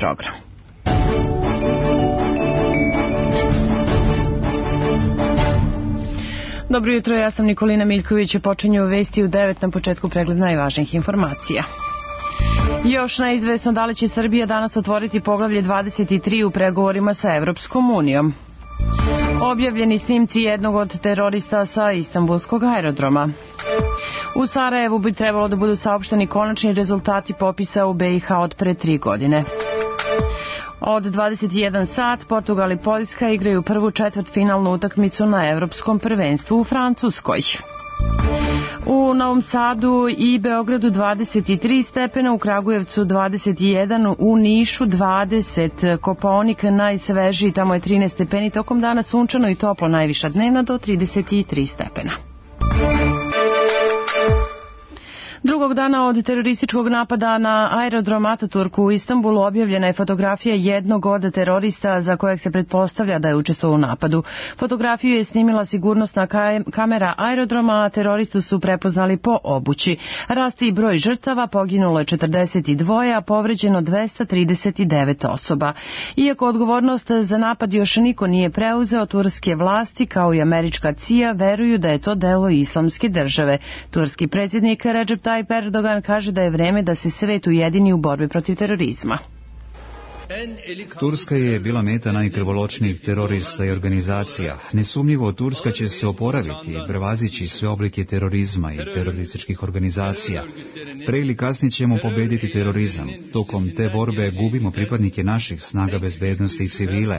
program. Dobro jutro, ja sam Nikolina Miljković, počinju vesti u 9 na početku pregled najvažnijih informacija. Još neizvesno da li će Srbija danas otvoriti poglavlje 23 u pregovorima sa Evropskom unijom. Objavljeni snimci jednog od terorista sa Istanbulskog aerodroma. U Sarajevu bi trebalo da budu saopšteni konačni rezultati popisa u BiH od pre 3 godine. Od 21 sat Portugal i Poljska igraju prvu četvrtfinalnu utakmicu na Evropskom prvenstvu u Francuskoj. U Novom Sadu i Beogradu 23 stepena, u Kragujevcu 21, u Nišu 20, Kopaonik najsvežiji, tamo je 13 stepeni, tokom dana sunčano i toplo, najviša dnevna do 33 stepena. Drugog dana od terorističkog napada na aerodrom Ataturk u Istanbulu objavljena je fotografija jednog od terorista za kojeg se pretpostavlja da je učestvovao u napadu. Fotografiju je snimila sigurnosna kamera aerodroma, a teroristu su prepoznali po obući. Raste i broj žrtava, poginulo je 42, a povređeno 239 osoba. Iako odgovornost za napad još niko nije preuzeo, turske vlasti kao i američka CIA veruju da je to delo Islamske države. Turski predsjednik Recep Tayyip Erdogan kaže da je vreme da se svet ujedini u borbi protiv terorizma. Turska je bila meta najkrvoločnijih terorista i organizacija. Nesumnjivo, Turska će se oporaviti i prevazići sve oblike terorizma i terorističkih organizacija. Pre ili kasnije ćemo pobediti terorizam. Tokom te borbe gubimo pripadnike naših snaga bezbednosti i civile,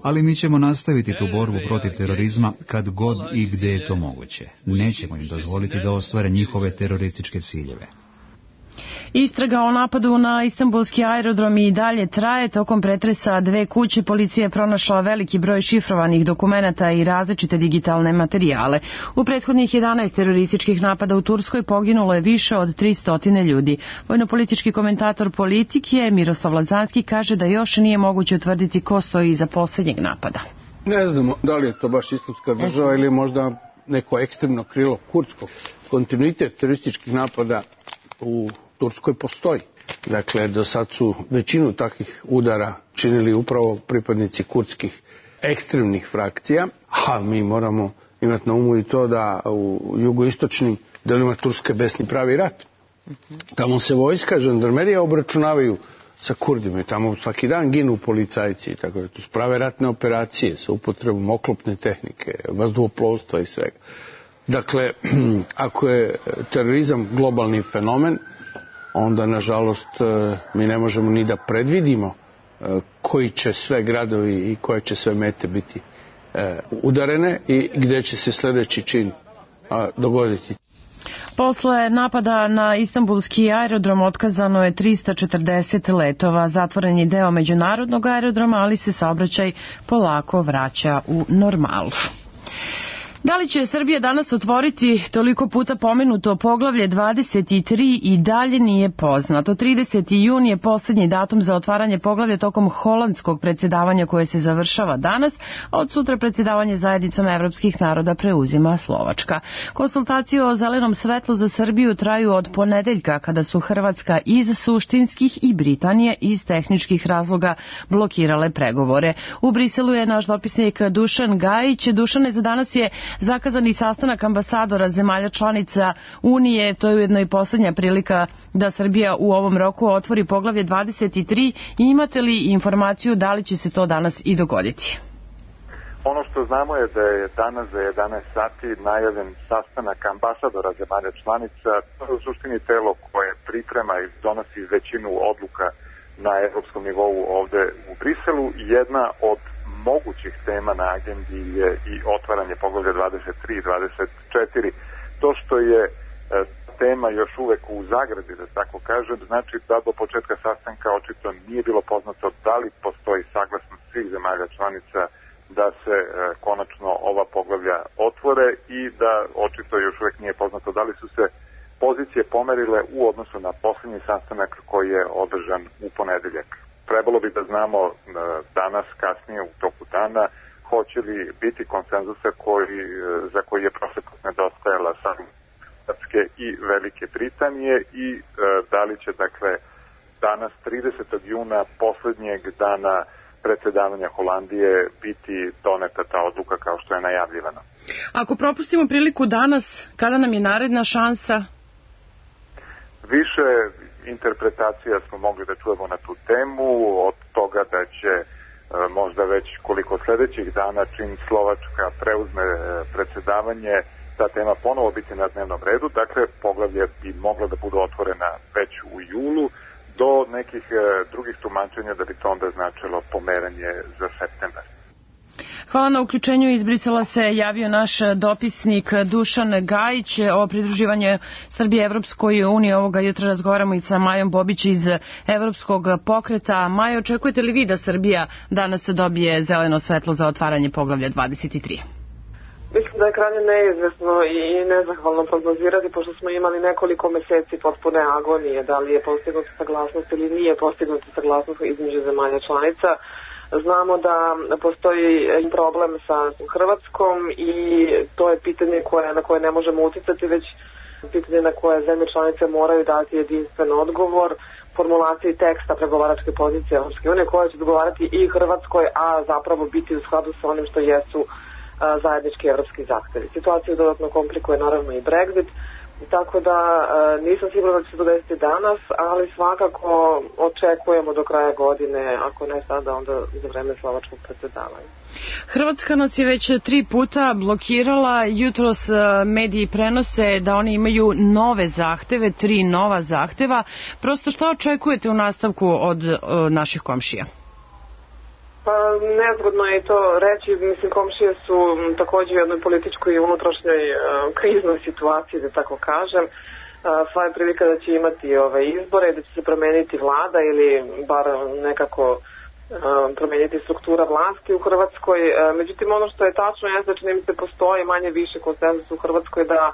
ali mi ćemo nastaviti tu borbu protiv terorizma kad god i gde je to moguće. Nećemo im dozvoliti da ostvare njihove terorističke ciljeve. Istraga o napadu na Istanbulski aerodrom i dalje traje. Tokom pretresa dve kuće policija je pronašla veliki broj šifrovanih dokumenata i različite digitalne materijale. U prethodnih 11 terorističkih napada u Turskoj poginulo je više od 300 ljudi. Vojnopolitički komentator Politike Miroslav Lazanski kaže da još nije moguće utvrditi ko stoji iza posljednjeg napada. Ne znamo da li je to baš Islamska država ili možda neko ekstremno krilo kurdsko. Kontinuitet terorističkih napada u Turskoj postoji. Dakle, do sad su većinu takvih udara činili upravo pripadnici kurdskih ekstremnih frakcija, a mi moramo imati na umu i to da u jugoistočnim delima Turske besni pravi rat. Tamo se vojska, žandarmerija obračunavaju sa Kurdima i tamo svaki dan ginu policajci. Tako da tu prave ratne operacije sa upotrebom oklopne tehnike, vazduhoplovstva i svega. Dakle, ako je terorizam globalni fenomen, onda, nažalost, mi ne možemo ni da predvidimo koji će sve gradovi i koje će sve mete biti udarene i gde će se sljedeći čin dogoditi. Posle napada na Istanbulski aerodrom otkazano je 340 letova. Zatvoren je deo međunarodnog aerodroma, ali se saobraćaj polako vraća u normalu. Da li će Srbija danas otvoriti toliko puta pomenuto poglavlje 23 i dalje nije poznato. 30. jun je posljednji datum za otvaranje poglavlja tokom holandskog predsjedavanja koje se završava danas, a od sutra predsjedavanje zajednicom evropskih naroda preuzima Slovačka. Konsultacije o zelenom svetlu za Srbiju traju od ponedeljka, kada su Hrvatska iz suštinskih i Britanija iz tehničkih razloga blokirale pregovore. U Briselu je naš dopisnik Dušan Gajić. Dušane, za danas je zakazani sastanak ambasadora zemalja članica Unije. To je ujedno i posljednja prilika da Srbija u ovom roku otvori poglavlje 23. Imate li informaciju da li će se to danas i dogoditi? Ono što znamo je da je danas za 11 sati najavljen sastanak ambasadora zemalja članica. To je u suštini telo koje priprema i donosi većinu odluka na evropskom nivou ovde u Briselu. Jedna od mogućih tema na agendi je i otvaranje poglavlja 23 i 24. To što je tema još uvek u zagradi, da tako kažem, znači da do početka sastanka očito nije bilo poznato da li postoji saglasnost svih zemalja članica da se konačno ova poglavlja otvore i da očito još uvek nije poznato da li su se pozicije pomerile u odnosu na posljednji sastanak koji je održan u ponedeljak. Trebalo bi da znamo danas, kasnije u toku dana, hoće li biti konsenzusa za koji je prošle put nedostajala samo Hrvatske i Velike Britanije i da li će, dakle, danas 30. juna, poslednjeg dana predsedavanja Holandije, biti doneta ta odluka kao što je najavljivano. Ako propustimo priliku danas, kada nam je naredna šansa? Više interpretacija smo mogli da čujemo na tu temu, od toga da će možda već koliko sledećih dana, čim Slovačka preuzme predsedavanje, ta tema ponovo biti na dnevnom redu. Dakle, poglavlje bi mogla da bude otvorena već u julu, do nekih drugih tumačenja da bi to onda značilo pomeranje za septembar. Hvala na uključenju. Iz Brisela se javio naš dopisnik Dušan Gajić o pridruživanju Srbije Evropskoj uniji. Ovoga jutra razgovaramo i sa Majom Bobić iz Evropskog pokreta. Majo, očekujete li vi da Srbija danas dobije zeleno svetlo za otvaranje poglavlja 23? Mislim da je krajnje neizvesno i nezahvalno prognozirati, pošto smo imali nekoliko meseci potpune agonije, da li je postignuta saglasnost ili nije postignuta saglasnost između zemalja članica. Znamo da postoji problem sa Hrvatskom i to je pitanje na koje ne možemo uticati, već pitanje na koje zemlje članice moraju dati jedinstven odgovor formulaciji teksta pregovaračke pozicije Evropske unije, koja će odgovarati i Hrvatskoj, a zapravo biti u skladu sa onim što jesu zajednički evropski zahtevi. Situaciju dodatno komplikuje naravno i Brexit, tako da nisam sigurna da će se to desiti danas, ali svakako očekujemo do kraja godine, ako ne sada, onda za vreme slovačkog predsedavanja. Hrvatska nas je već 3 puta blokirala. Jutros mediji prenose da oni imaju nove zahteve, 3 nova zahteva. Prosto šta očekujete u nastavku od naših komšija? Pa nezgodno je to reći, mislim, komšije su također u jednoj političkoj i unutrašnjoj kriznoj situaciji, da tako kažem. Sva je prilika da će imati izbore, da će se promeniti vlada ili bar nekako promeniti struktura vlasti u Hrvatskoj. Međutim, ono što je tačno je da čini mi se postoji manje više konsenzus u Hrvatskoj da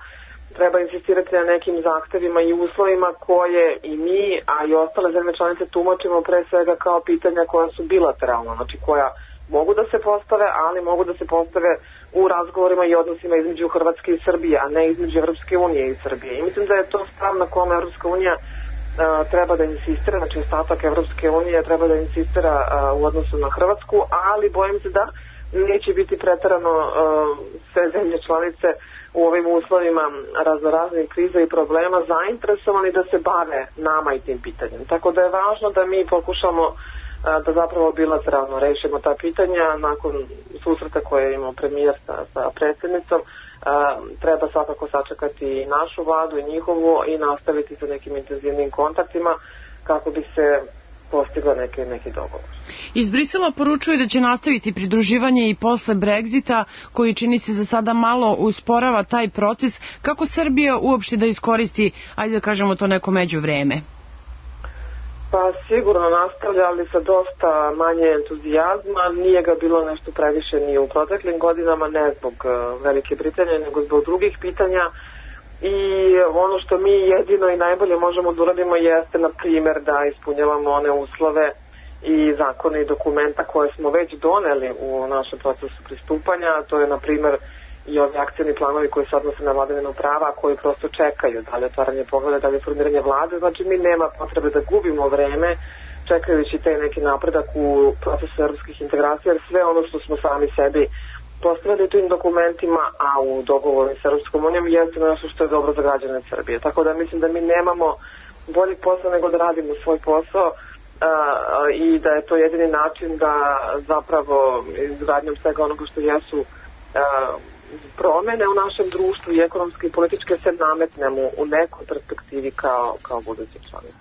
treba insistirati na nekim zahtevima i uslovima koje i mi, a i ostale zemlje članice tumačimo pre svega kao pitanja koja su bilateralna, znači koja mogu da se postave, ali mogu da se postave u razgovorima i odnosima između Hrvatske i Srbije, a ne između Evropske unije i Srbije. I mislim da je to stav na kome Evropska unija treba da insistira, znači ostatak Evropske unije treba da insistira u odnosu na Hrvatsku, ali bojim se da neće biti preterano sve zemlje članice u ovim uslovima raznoraznih kriza i problema zainteresovani da se bave nama i tim pitanjem. Tako da je važno da mi pokušamo da zapravo bilateralno rešimo ta pitanja. Nakon susreta koje je imao premijer sa predsjednicom, treba svakako sačekati i našu vladu i njihovu i nastaviti sa nekim intenzivnim kontaktima kako bi se postigla neki dogovor. Iz Brisela poručuju da će nastaviti pridruživanje i posle Brexita, koji čini se za sada malo usporava taj proces. Kako Srbija uopšte da iskoristi, ajde da kažemo to neko međuvreme? Pa sigurno nastavlja, ali sa dosta manje entuzijazma. Nije ga bilo nešto previše ni u proteklim godinama, ne zbog Velike Britanije, nego zbog drugih pitanja. I ono što mi jedino i najbolje možemo da uradimo jeste, na primjer, da ispunjavamo one uslove i zakone i dokumenta koje smo već doneli u našem procesu pristupanja. To je, na primjer, i ovi akcijni planovi koji se odnose na vladavinu prava, koji prosto čekaju da li otvaranje poglavlja, da li formiranje vlade. Znači, mi nema potrebe da gubimo vreme čekajući taj neki napredak u procesu evropskih integracija, jer sve ono što smo sami sebi postavili tim dokumentima, a u dogovoru s Evropskom unijom, jeste nešto što je dobro za građane Srbije. Tako da mislim da mi nemamo bolji posao nego da radimo svoj posao i da je to jedini način da zapravo izgradnjom svega onoga što jesu promene u našem društvu i ekonomske i političke se nametnemo u nekoj perspektivi kao budući članici.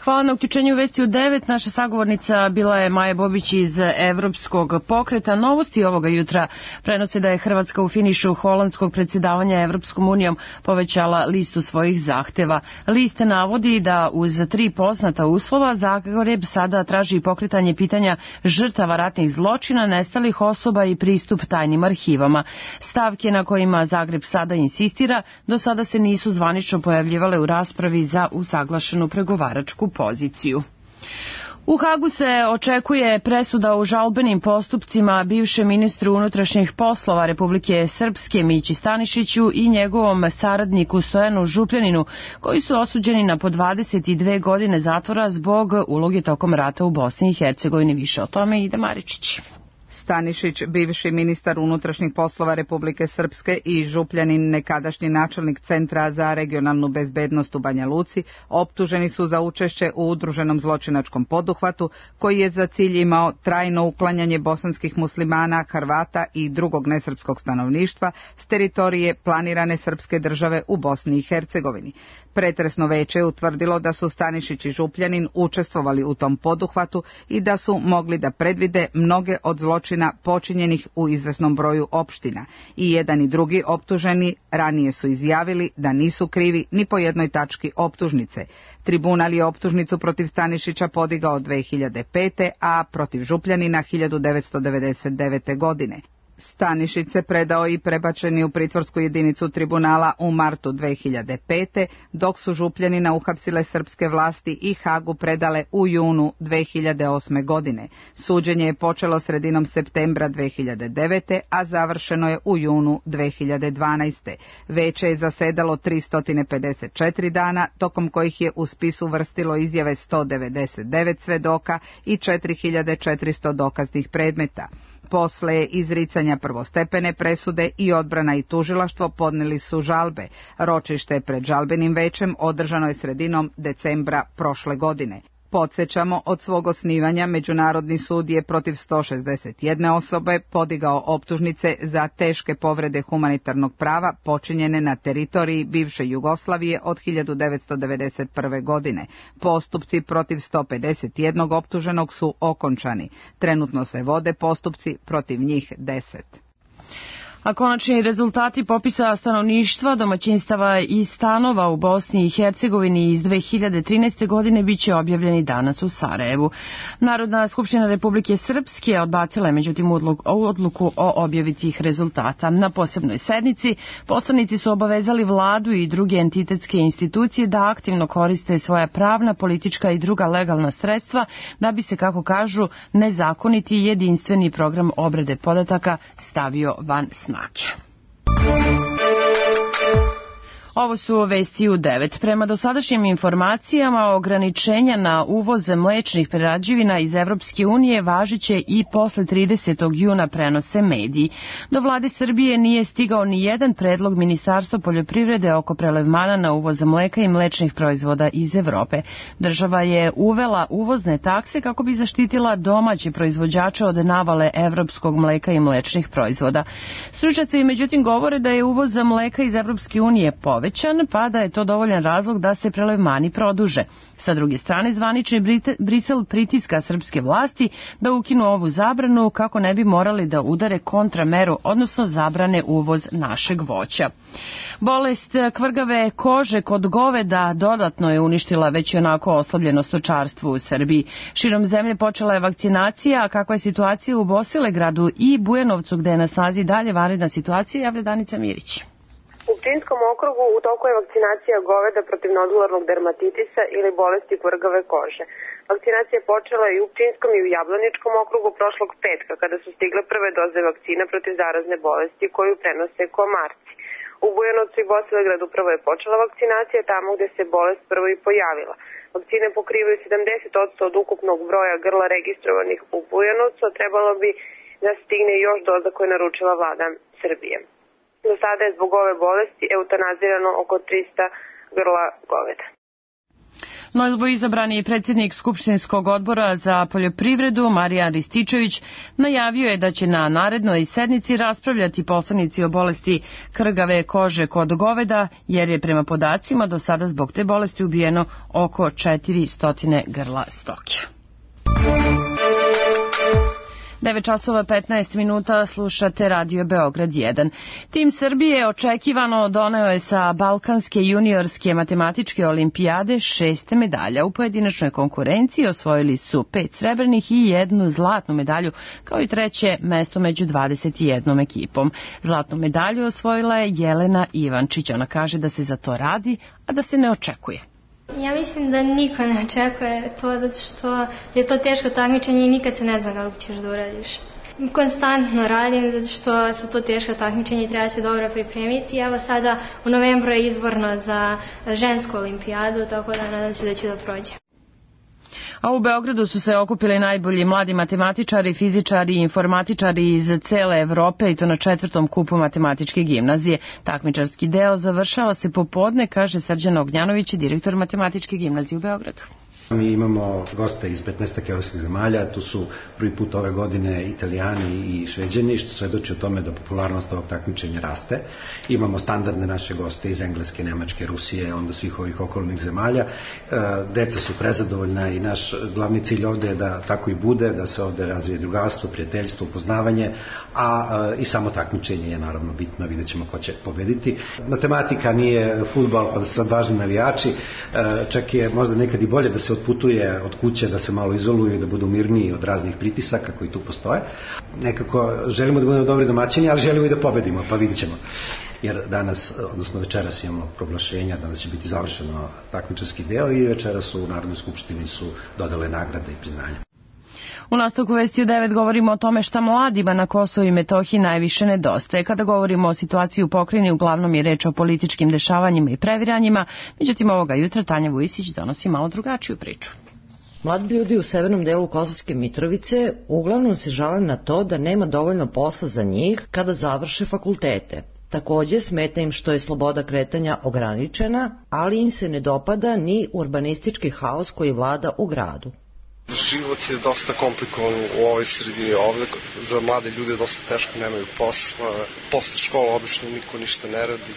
Hvala na uključenju Vesti u 9. Naša sagovornica bila je Maja Bobić iz Evropskog pokreta. Novosti ovoga jutra prenose da je Hrvatska u finišu holandskog predsjedavanja Evropskom unijom povećala listu svojih zahteva. Liste navodi da uz 3 poznata uslova Zagreb sada traži pokretanje pitanja žrtava ratnih zločina, nestalih osoba i pristup tajnim arhivama. Stavke na kojima Zagreb sada insistira do sada se nisu zvanično pojavljivale u raspravi za usaglašenu pregovaračku poziciju. U Hagu se očekuje presuda u žalbenim postupcima bivšem ministru unutrašnjih poslova Republike Srpske Mići Stanišiću i njegovom saradniku Stojanu Župljaninu, koji su osuđeni na po 22 godine zatvora zbog uloge tokom rata u Bosni i Hercegovini. Više o tome Ida Maričić. Stanišić, bivši ministar unutrašnjih poslova Republike Srpske i Župljanin, nekadašnji načelnik Centra za regionalnu bezbednost u Banja Luci, optuženi su za učešće u udruženom zločinačkom poduhvatu koji je za cilj imao trajno uklanjanje bosanskih muslimana, Hrvata i drugog nesrpskog stanovništva s teritorije planirane srpske države u Bosni i Hercegovini. Pretresno veće je utvrdilo da su Stanišić i Župljanin učestvovali u tom poduhvatu i da su mogli da predvide mnoge od zločina počinjenih u izvesnom broju opština. I jedan i drugi optuženi ranije su izjavili da nisu krivi ni po jednoj tački optužnice. Tribunal je optužnicu protiv Stanišića podigao 2005. a protiv Župljanina 1999. godine. Stanišić se predao i prebačeni u pritvorsku jedinicu tribunala u martu 2005. dok su Župljanina uhapsile srpske vlasti i Hagu predale u junu 2008. godine. Suđenje je počelo sredinom septembra 2009. a završeno je u junu 2012. Veće je zasedalo 354 dana, tokom kojih je u spisu uvrstilo izjave 199 svedoka i 4400 dokaznih predmeta. Posle izricanja prvostepene presude i odbrana i tužilaštvo podneli su žalbe. Ročište pred žalbenim većem održano je sredinom decembra prošle godine. Podsjećamo, od svog osnivanja Međunarodni sud je protiv 161 osobe podigao optužnice za teške povrede humanitarnog prava počinjene na teritoriji bivše Jugoslavije od 1991. godine. Postupci protiv 151 optuženog su okončani. Trenutno se vode postupci protiv njih 10. A konačni rezultati popisa stanovništva, domaćinstava i stanova u Bosni i Hercegovini iz 2013. godine biće objavljeni danas u Sarajevu. Narodna skupština Republike Srpske odbacila je međutim odluku o objavi tih rezultata. Na posebnoj sednici poslanici su obavezali vladu i druge entitetske institucije da aktivno koriste svoja pravna, politička i druga legalna sredstva da bi se, kako kažu, nezakoniti jedinstveni program obrade podataka stavio van snage. Ovo su vesti u 9. Prema dosadašnjim informacijama, ograničenja na uvoz mlečnih prerađevina iz Evropske unije važiće i posle 30. juna, prenose mediji. Do vlade Srbije nije stigao ni jedan predlog Ministarstva poljoprivrede oko prelevmana na uvoz mleka i mlečnih proizvoda iz Evrope. Država je uvela uvozne takse kako bi zaštitila domaće proizvođače od navale evropskog mleka i mlečnih proizvoda. Stručnjaci međutim govore da je uvoz mleka iz Evropske unije povećan, pa da je to dovoljan razlog da se prelevmani produže. Sa druge strane, zvanični Brisel pritiska srpske vlasti da ukinu ovu zabranu kako ne bi morali da udare kontrameru, odnosno zabrane uvoz našeg voća. Bolest kvrgave kože kod goveda dodatno je uništila već onako oslabljeno stočarstvo u Srbiji. Širom zemlje počela je vakcinacija, a kakva je situacija u Bosilegradu i Bujanovcu, gde je na snazi dalje vanredna situacija, javlja Danica Mirić. U Pčinjskom okrugu u toku je vakcinacija goveda protiv nodularnog dermatitisa ili bolesti kvrgave kože. Vakcinacija je počela i u Pčinjskom i u Jablaničkom okrugu prošlog petka, kada su stigle prve doze vakcina protiv zarazne bolesti koju prenose komarci. U Bujanovcu i Bosilegradu prvo je počela vakcinacija tamo gde se bolest prvo i pojavila. Vakcine pokrivaju 70% od ukupnog broja grla registrovanih u Bujanovcu, a trebalo bi da stigne još doza koje je naručila vlada Srbije. Do sada je zbog ove bolesti eutanazirano oko 300 grla goveda. Novo izabrani predsjednik Skupštinskog odbora za poljoprivredu Marijan Rističević najavio je da će na narednoj sednici raspravljati poslanici o bolesti krgave kože kod goveda, jer je prema podacima do sada zbog te bolesti ubijeno oko 400 grla stoke. 9 časova 15 minuta, slušate Radio Beograd 1. Tim Srbije očekivano doneo je sa Balkanske juniorske matematičke olimpijade 6 medalja. U pojedinačnoj konkurenciji osvojili su 5 srebrnih i 1 zlatnu medalju, kao i 3. mesto među 21 ekipom. Zlatnu medalju osvojila je Jelena Ivančić. Ona kaže da se za to radi, a da se ne očekuje. Ja mislim da niko ne očekuje to, zato što je to teško takmičenje i nikad se ne zna kako ćeš da uradiš. Konstantno radim zato što su to teška takmičenja i treba se dobro pripremiti. Evo sada u novembru je izborno za žensku olimpijadu, tako da nadam se da će da prođe. A u Beogradu su se okupili najbolji mladi matematičari, fizičari i informatičari iz cele Evrope i to na 4. kupu matematičke gimnazije. Takmičarski deo završava se popodne, kaže Srđan Ognjanović, direktor matematičke gimnazije u Beogradu. Mi imamo goste iz 15 evropskih zemalja, tu su prvi put ove godine Italijani i Šveđani, što svedoči o tome da popularnost ovog takmičenja raste. Imamo standardne naše goste iz Engleske, Nemačke, Rusije, onda svih ovih okolnih zemalja. Deca su prezadovoljna i naš glavni cilj ovde je da tako i bude, da se ovde razvije drugarstvo, prijateljstvo, upoznavanje, a i samo takmičenje je naravno bitno, vidjet ćemo ko će pobediti. Matematika nije fudbal pa da se odvažni navijači, čak je možda nekad i bolje da se otputuje od kuće, da se malo izoluju i da budu mirniji od raznih pritisaka koji tu postoje. Nekako želimo da budemo dobri domaćini, ali želimo i da pobedimo, pa vidit ćemo. Jer danas, odnosno večeras imamo proglašenja, danas će biti završeno takmičarski deo i večeras u Narodnoj skupštini su dodale nagrade i priznanja. U nastavku Vesti u 9 govorimo o tome šta mladima na Kosovu i Metohiji najviše nedostaje. Kada govorimo o situaciji u pokrajini, uglavnom je reč o političkim dešavanjima i previranjima, međutim ovoga jutra Tanja Vujisić donosi malo drugačiju priču. Mladi ljudi u severnom delu Kosovske Mitrovice uglavnom se žale na to da nema dovoljno posla za njih kada završe fakultete. Takođe, smeta im što je sloboda kretanja ograničena, ali im se ne dopada ni urbanistički haos koji vlada u gradu. Život je dosta komplikovan u ovoj sredini ovde, za mlade ljude dosta teško, nemaju posla, posle škola obično niko ništa ne radi,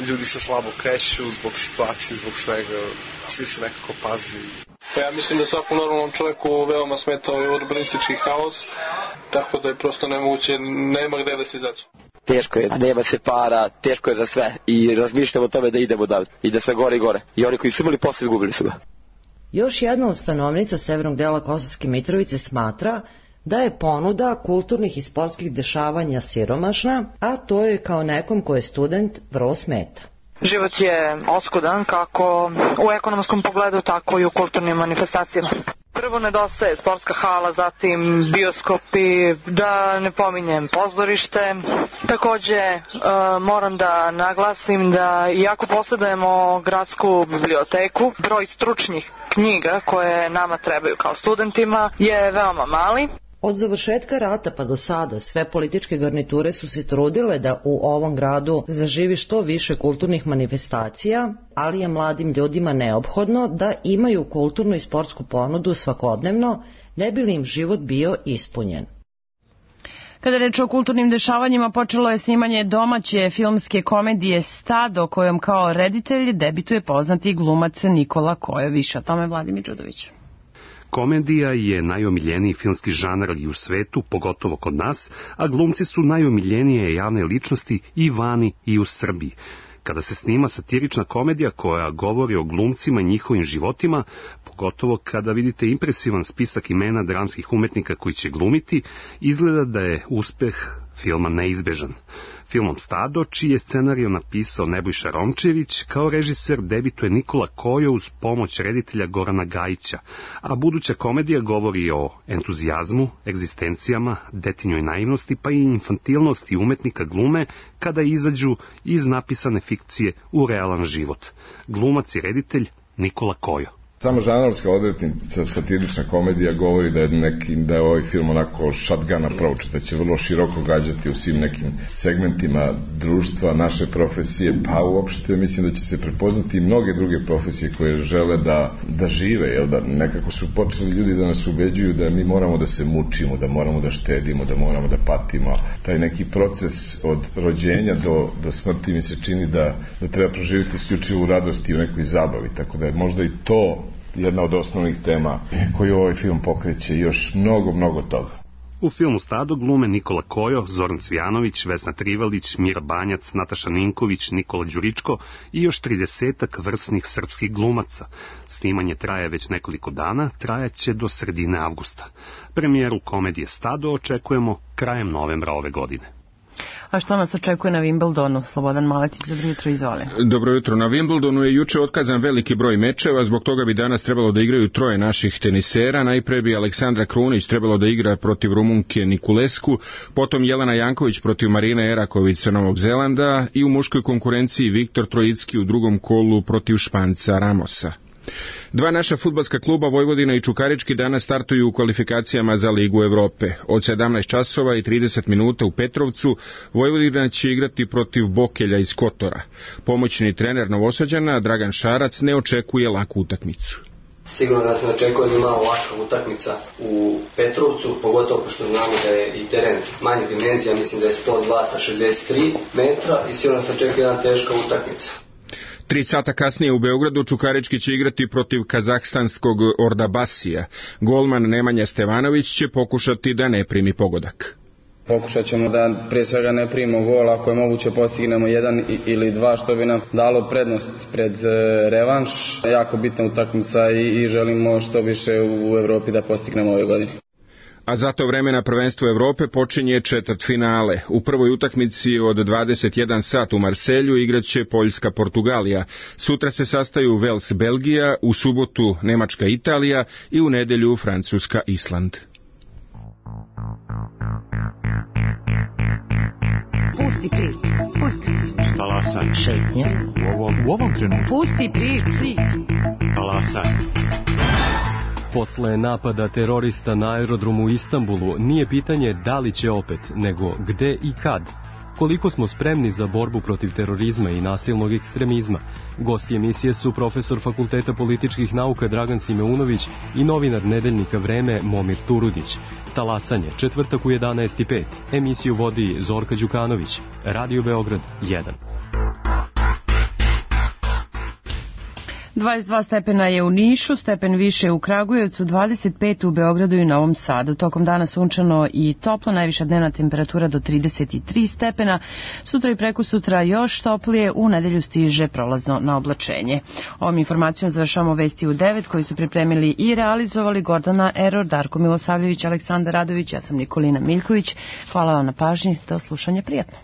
ljudi se slabo kreću zbog situacije, zbog svega, svi se nekako pazi. Ja mislim da svakom normalnom čovjeku veoma smeta ovaj urbanistički haos, tako da je prosto nemoguće, nema gde da se izađe. Teško je, nema se para, teško je za sve i razmišljamo o tome da idemo dalje i da sve gore i gore. I oni koji su imali posle izgubili su ga. Još jedna od stanovnica severnog dela Kosovske Mitrovice smatra da je ponuda kulturnih i sportskih dešavanja siromašna, a to je kao nekom ko je student vrlo smeta. Život je oskudan kako u ekonomskom pogledu, tako i u kulturnim manifestacijama. Prvo nedostaje sportska hala, zatim bioskopi, da ne pominjem pozorište. Takođe moram da naglasim da iako posjedujemo gradsku biblioteku, broj stručnih knjiga koje nama trebaju kao studentima je veoma mali. Od završetka rata pa do sada sve političke garniture su se trudile da u ovom gradu zaživi što više kulturnih manifestacija, ali je mladim ljudima neophodno da imaju kulturnu i sportsku ponudu svakodnevno, ne bi li im život bio ispunjen. Kada reč o kulturnim dešavanjima, počelo je snimanje domaće filmske komedije Stado, kojom kao reditelj debituje poznati glumac Nikola Kojo. Više o tome Vladimir Đudović. Komedija je najomiljeniji filmski žanr i u svetu, pogotovo kod nas, a glumci su najomiljenije javne ličnosti i vani i u Srbiji. Kada se snima satirična komedija koja govori o glumcima i njihovim životima, pogotovo kada vidite impresivan spisak imena dramskih umetnika koji će glumiti, izgleda da je uspeh filma neizbežan. Filmom Stado, čiji je scenariju napisao Nebojša Romčević, kao režiser debituje Nikola Kojo uz pomoć reditelja Gorana Gajića, a buduća komedija govori o entuzijazmu, egzistencijama, detinjoj naivnosti pa i infantilnosti umetnika glume kada izađu iz napisane fikcije u realan život. Glumac i reditelj Nikola Kojo. Sama žanarska odrednica, satirična komedija govori da je ovaj film onako shotgun approach, da će vrlo široko gađati u svim nekim segmentima društva, naše profesije, pa uopšte mislim da će se prepoznati i mnoge druge profesije koje žele da žive, jel da nekako su počeli ljudi da nas ubeđuju da mi moramo da se mučimo, da moramo da štedimo, da moramo da patimo. Taj neki proces od rođenja do smrti mi se čini da treba proživjeti isključivo u radosti i u nekoj zabavi, tako da je možda i to jedna od osnovnih tema koju ovaj film pokreće, još mnogo toga. U filmu Stado glume Nikola Kojo, Zoran Cvijanović, Vesna Trivalić, Mira Banjac, Nataša Ninković, Nikola Đuričko i još 30 vrsnih srpskih glumaca. Snimanje traje već nekoliko dana, trajaće do sredine avgusta. Premijeru komedije Stado očekujemo krajem novembra ove godine. A što nas očekuje na Wimbledonu? Slobodan Maletić, dobro jutro, izvoli. Dobro jutro. Na Wimbledonu je juče otkazan veliki broj mečeva, zbog toga bi danas trebalo da igraju troje naših tenisera. Najpre bi Aleksandra Krunić trebalo da igra protiv Rumunke Nikulesku, potom Jelena Janković protiv Marine Eraković sa Novog Zelanda i u muškoj konkurenciji Viktor Trojicki u drugom kolu protiv Španca Ramosa. Dva naša fudbalska kluba Vojvodina i Čukarički danas startuju u kvalifikacijama za Ligu Evrope. Od 17 časova i 30 minuta u Petrovcu Vojvodina će igrati protiv Bokelja iz Kotora. Pomoćni trener Novosađana Dragan Šarac ne očekuje laku utakmicu. Sigurno da se očekuje da malo laka utakmica u Petrovcu, pogotovo pošto znamo da je i teren manje dimenzija, mislim da je 102 sa 63 metra i sigurno se očekuje jedna teška utakmica. 3 sata kasnije u Beogradu Čukarički će igrati protiv kazahstanskog Ordabasija. Golman Nemanja Stevanović će pokušati da ne primi pogodak. Pokušat ćemo da prije svega ne primimo gol, ako je moguće postignemo 1 ili 2 što bi nam dalo prednost pred revanš. Jako bitna utakmica i želimo što više u Evropi da postignemo ove godine. A za to vreme na prvenstvu Evrope počinje četvrtfinale. U prvoj utakmici od 21 sat u Marselju igraće Poljska-Portugalija. Sutra se sastaju Vels-Belgija, u subotu Nemačka-Italija i u nedelju Francuska-Island. Pusti prič, pusti prič. Talasaj. Šetnja. U ovom trenutku. Pusti prič. Talasaj. Posle napada terorista na aerodromu u Istanbulu nije pitanje da li će opet, nego gde i kad. Koliko smo spremni za borbu protiv terorizma i nasilnog ekstremizma? Gosti emisije su profesor Fakulteta političkih nauka Dragan Simeunović i novinar nedeljnika Vreme Momir Turudić. Talasanje, četvrtak u 11:05. Emisiju vodi Zorka Đukanović. Radio Beograd 1. 22 stepena je u Nišu, stepen više u Kragujevcu, 25 u Beogradu i Novom Sadu. Tokom dana sunčano i toplo, najviša dnevna temperatura do 33 stepena. Sutra i prekosutra još toplije, u nedelju stiže prolazno na oblačenje. Ovom informacijom završamo vesti u 9 koji su pripremili i realizovali Gordana Eror, Darko Milosavljević, Aleksandar Radović, ja sam Nikolina Miljković. Hvala vam na pažnji, do slušanja, prijatno.